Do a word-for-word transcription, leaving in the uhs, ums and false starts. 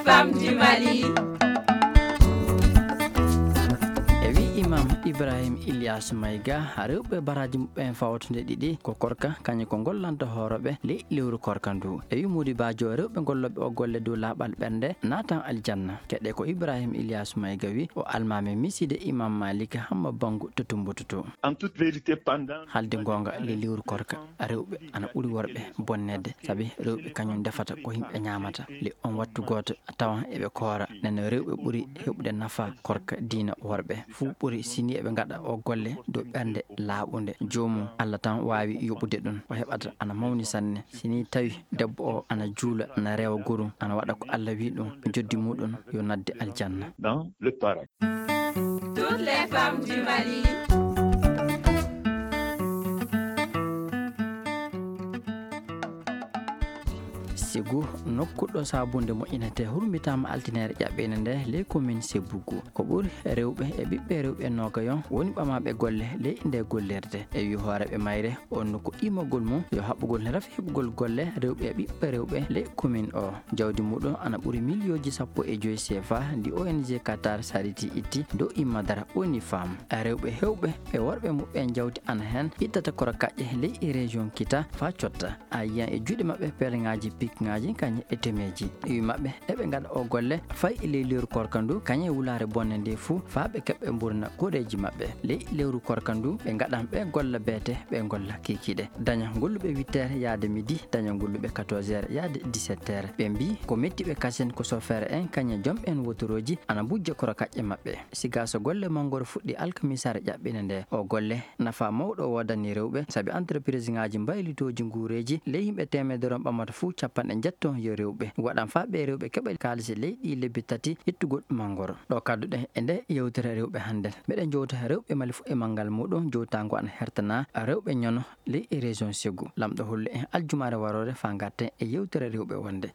Femmes du Mali. E wi imam Ibrahim Ilyas Mayga, rewɓe baraji muɓɓen fawtude ɗiɗi ko korka, kañum ko gollanta hooroɓe ley lewru korka ndu. E wi Mody Badio, rewɓe golloɓe o golle dow laaɓal ɓernde naatan aljanna. Keɗe ko Ibrahim Ilyas Mayga wi, o almami miside imam Malik Hamma Bangu to Tumbutu to. En toute vérité, pendant Haalde goonga, ley lewru korka, rewɓe ana ɓuri worɓe bonneede, sabi rewɓe kañum ndefata ko yimɓe ñaamata. Ley on wattu gooto, a tawan eɓe koora. Nden rewɓe ɓuri heɓude nafa korka diina worɓe. Fuu ɓuri sini eɓe ngaɗa o golle dow ɓernde laaɓunde. Joomum, Allah tan waawi yoɓude ɗum. O heɓata ana mawni sanne. Sini tawi debbo o ana juula, ana rewa gorum, ana waɗa ko Allah wi ɗum, joddi muɗum yo nadde aljanna. Dans le paradis. Toutes les femmes du Mali. Sigu, nokku ɗo sabunde moƴƴinetee, hurmitaama altine ƴaɓɓiinde nde ley commune Sebbugu. Ko ɓuri rewɓe e ɓiɓɓe rewɓe noogayon woni ɓamaaɓe golle ley nde gollirde. E wi hooreeɓe mayre, on no ko immagol mum yo haɓɓugol rafi heɓugol golle rewɓe e ɓiɓɓe rewɓe ley commune o. Jawdi muɗum ana ɓuri miliyooji sappo e joy C F A ndi O N G Qatar Charity itti dow immadara ONIFAM. Rewɓe hewɓe e worɓe muɓɓen jawdi ana hen ittata koro kaƴƴe ley e région Kita faa cotta. A yiyan e juuɗe maɓɓe peleŋaaji, pikŋaaji, kañum e temeeji. Iwi maɓɓe eɓe ngaɗa o golle fay e ley lewru korka ndu, kañum e wulaare bonde nde fuu, faa ɓe keɓɓe mburna koreeji maɓɓe. Ley lewru korka ndu, ɓe ngaɗan ɓe golla beete, ɓe golla kiikiiɗe. Daña golluɓe huit heures yaade midi, daña golluɓe quatorze heures yaade dix-sept heures. Ɓe mbii ko mettiɓe kasen ko sofeere en, kañum e jom en wotorooji ana mbujja koro kaƴƴe maɓɓe. Siga so golle mangoro fuɗɗi alkamisaare ƴaɓɓinde nde, o golle nafa mawɗo woodani rewɓe, sabi entreprise ŋaaji mbaylitooji nguureeji, ley yimɓe teemedere on ɓamata fuu capanɗe njetto yo rewɓe. Waɗan faa ɓe rewɓe keɓa kaalisi ley ɗi lebbi tati ittugol mangoro. Ɗo kadduɗen e nde yewtere rewɓe hannden. Meɗen jowta rewɓe Mali fuu e manngal muɗum, jowtaango ana hertana rewɓe ñono ley e région Ségou. Lamɗo holli en aljumaare waroore faa ngarten e yewtere rewɓe wonde.